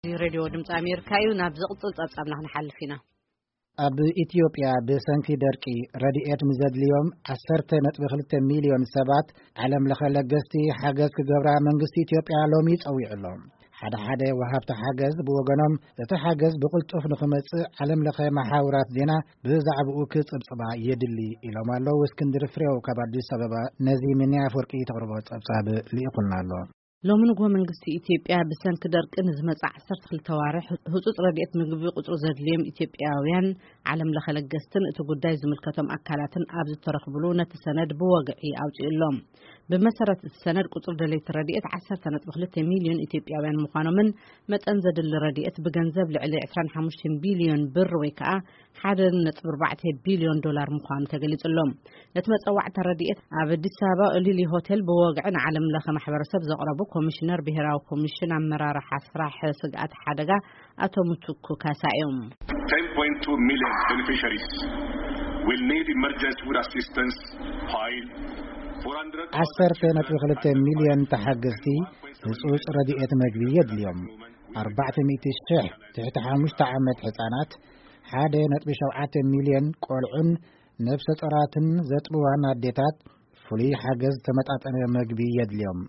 እዚ ሬድዮ ድምፂ ኣሜሪካ እዩ። ናብ ዝቕፅል ፀብፃብና ክንሓልፍ ኢና። ኣብ ኢትዮጵያ ብሰንኪ ደርቂ ረድኤት ንዘድልዮም ዓሰርተ ነጥቢ ክልተ ሚልዮን ሰባት ዓለም ለኸ ለገስቲ ሓገዝ ክገብራ መንግስቲ ኢትዮጵያ ሎሚ ጸዊዑ ኣሎ። ሓደ ሓደ ወሃብቲ ሓገዝ ብወገኖም፣ እቲ ሓገዝ ብቕልጡፍ ንኽመጽእ ዓለም ለኸ መሓውራት ዜና ብዛዕባኡ ክጽብጽባ የድሊ ኢሎም ኣለዉ። እስክንድር ፍሬው ካብ ኣዲስ ኣበባ ነዚ ሚኒ ኣፈወርቂ ተቕርቦ ጸብጻብ ልኢኹልና ኣሎ። ሎሚ ንግሆ መንግስቲ ኢትዮጵያ ብሰንኪ ደርቂ ንዝመጽእ ዓሰርተ ክልተ ዋርሕ ህጹጽ ረድኤት ምግቢ ቁጽሪ ዘድልዮም ኢትዮጵያውያን ዓለም ለኸ ለገስትን እቲ ጉዳይ ዝምልከቶም ኣካላትን ኣብ ዝተረኽብሉ ነቲ ሰነድ ብወግዒ ኣውጺኡ ኣሎ። ብመሰረት እቲ ሰነድ ቁጽሪ ደለይቲ ረድኤት ዓሰርተ ነጥቢ ክልተ ሚልዮን ኢትዮጵያውያን ምዃኖምን መጠን ዘድሊ ረድኤት ብገንዘብ ልዕሊ ዕስራን ሓሙሽተን ቢልዮን ብር ወይ ከዓ ሓደ ነጥቢ ኣርባዕተ ቢልዮን ዶላር ምዃኑ ተገሊጹ ኣሎ። ነቲ መጸዋዕታ ረድኤት ኣብ ኣዲስ ኣበባ ኦሊሊ ሆቴል ብወግዒ ንዓለም ለኸ ማሕበረሰብ ዘቕረቡ ኮሚሽነር ብሄራዊ ኮሚሽን ኣመራርሓ ስራሕ ስግኣት ሓደጋ ኣቶ ምትኩ ካሳ እዮም። ten point two million beneficiaries will need emergency food assistance while ዓሰርተ ነጥቢ ክልተ ሚልዮን ተሓገዝቲ ህጹጽ ረድኤት መግቢ የድልዮም። ኣርባዕተ ሚእቲ ሽሕ ትሕቲ ሓሙሽተ ዓመት ህጻናት፣ ሓደ ነጥቢ ሸውዓተ ሚልዮን ቆልዑን ነፍሰ ጾራትን ዘጥብዋን ኣዴታት ፍሉይ ሓገዝ ተመጣጠነ መግቢ የድልዮም።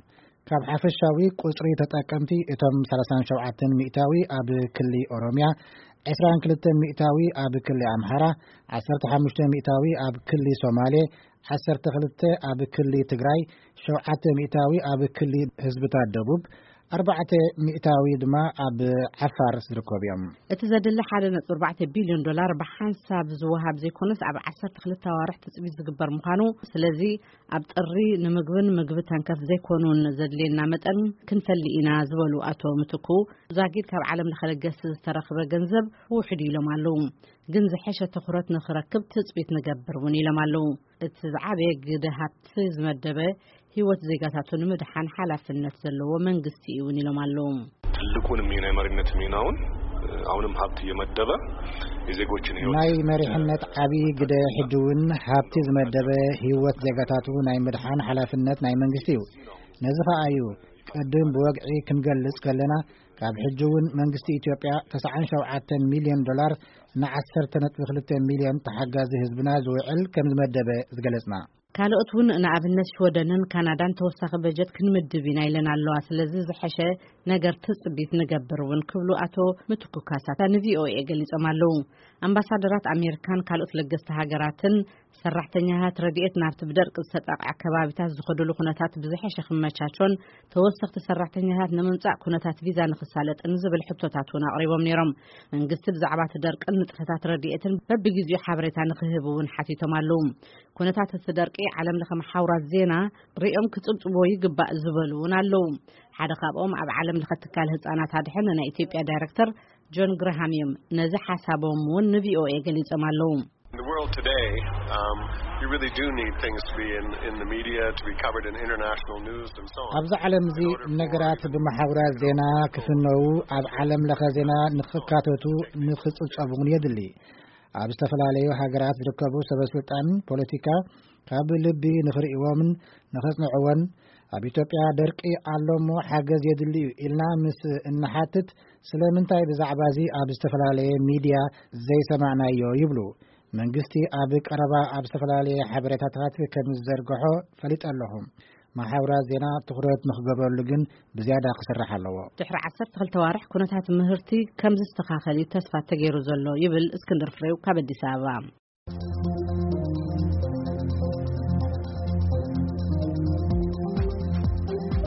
ካብ ሓፈሻዊ ቁጽሪ ተጠቀምቲ እቶም ሰላሳን ሸውዓተን ሚእታዊ ኣብ ክሊ ኦሮምያ፣ ዕስራን ክልተን ሚእታዊ ኣብ ክሊ ኣምሓራ፣ ዓሰርተ ሓሙሽተ ሚእታዊ ኣብ ክሊ ሶማሌ፣ ዓሰርተ ክልተ ኣብ ክሊ ትግራይ፣ ሸውዓተ ሚእታዊ ኣብ ክሊ ህዝብታት ደቡብ፣ ኣርባዕተ ሚእታዊ ድማ ኣብ ዓፋር ዝርከቡ እዮም። እቲ ዘድሊ ሓደ ነጥቢ ኣርባዕተ ቢልዮን ዶላር ብሓንሳብ ዝወሃብ ዘይኮነስ ኣብ ዓሰርተ ክልተ ኣዋርሕ ትጽቢት ዝግበር ምዃኑ፣ ስለዚ ኣብ ጥሪ ንምግብን ምግቢ ተንከፍ ዘይኮኑን ዘድልየና መጠን ክንፈሊ ኢና ዝበሉ ኣቶ ምትኩ፣ ዛጊድ ካብ ዓለም ለኸ ለገስቲ ዝተረኽበ ገንዘብ ውሑድ ኢሎም ኣለዉ። ግን ዝሐሸ ትኹረት ንኽረክብ ትጽቢት ንገብር እውን ኢሎም ኣለዉ። እቲ ዝዓበየ ግደ ሃብቲ ዝመደበ ህይወት ዜጋታቱ ንምድሓን ሓላፍነት ዘለዎ መንግስቲ እዩ እውን ኢሎም ኣለዉ። ትልቁን ሚና የመሪነት ሚናውን አሁንም ሀብት እየመደበ የዜጎችን ህይወት ናይ መሪሕነት ዓብዪ ግደ ሕጂ እውን ሃብቲ ዝመደበ ህይወት ዜጋታቱ ናይ ምድሓን ሓላፍነት ናይ መንግስቲ እዩ። ነዚ ኸኣ እዩ ቅድም ብወግዒ ክንገልጽ ከለና፣ ካብ ሕጂ እውን መንግስቲ ኢትዮጵያ ተስዓን ሸውዓተን ሚልዮን ዶላር ንዓሰርተ ነጥቢ ክልተ ሚልዮን ተሓጋዚ ህዝብና ዝውዕል ከም ዝመደበ ዝገለጽና። ካልኦት እውን ንኣብነት ሽወደንን ካናዳን ተወሳኺ በጀት ክንምድብ ኢና ኢለን ኣለዋ። ስለዚ ዝሐሸ ነገር ትጽቢት ንገብር እውን ክብሉ ኣቶ ምትኩ ካሳ ንቪኦኤ ገሊጾም ኣለዉ። ኣምባሳደራት ኣሜሪካን ካልኦት ለገስቲ ሃገራትን ሰራሕተኛታት ረድኤት ናብቲ ብደርቂ ዝተጠቕዐ ከባቢታት ዝኸዱሉ ኩነታት ብዝሐሸ ክመቻቾን ተወሰኽቲ ሰራሕተኛታት ንምምጻእ ኩነታት ቪዛ ንኽሳለጥን ዝብል ሕቶታት እውን ኣቕሪቦም ነይሮም። መንግስቲ ብዛዕባ እቲ ደርቅን ንጥፈታት ረድኤትን በብግዜኡ ሓበሬታ ንኽህብ እውን ሓቲቶም ኣለዉ። ኩነታት እቲ ደርቂ ዓለም ለኸ መሓውራት ዜና ሪኦም ክጽብጽብዎ ይግባእ ዝበሉ እውን ኣለዉ። ሓደ ካብኦም ኣብ ዓለም ለኸ ትካል ህጻናት ኣድሕን ናይ ኢትዮጵያ ዳይሬክተር ጆን ግርሃም እዮም። ነዚ ሓሳቦም እውን ንቪኦኤ ገሊጾም ኣለዉ። In the world today, um, you really do need things to be in, in the media, to be covered in international news and so on. ኣብዚ ዓለም እዚ ነገራት ብመሓውራት ዜና ክፍነዉ፣ ኣብ ዓለም ለኸ ዜና ንኽካተቱ፣ ንኽጽብጸቡ እውን የድሊ። ኣብ ዝተፈላለዩ ሃገራት ዝርከቡ ሰበ ስልጣን ፖለቲካ ካብ ልቢ ንኽርእይዎምን ንኸጽንዕዎን፣ ኣብ ኢትዮጵያ ደርቂ ኣሎ እሞ ሓገዝ የድሊ እዩ ኢልና ምስ እንሓትት፣ ስለምንታይ ብዛዕባ እዚ ኣብ ዝተፈላለየ ሚድያ ዘይሰማዕናዮ ይብሉ። መንግስቲ ኣብ ቀረባ ኣብ ዝተፈላለየ ሓበሬታታት ከም ዝዘርግሖ ፈሊጠ ኣለኹ። መሓውራት ዜና ትኹረት ንኽገብረሉ ግን ብዝያዳ ክስራሕ ኣለዎ። ድሕሪ ዓሰርተ ክልተ ዋርሕ ኩነታት ምህርቲ ከም ዝስተኻኸል እዩ ተስፋ ተገይሩ ዘሎ ይብል እስክንድር ፍሬው ካብ ኣዲስ ኣበባ።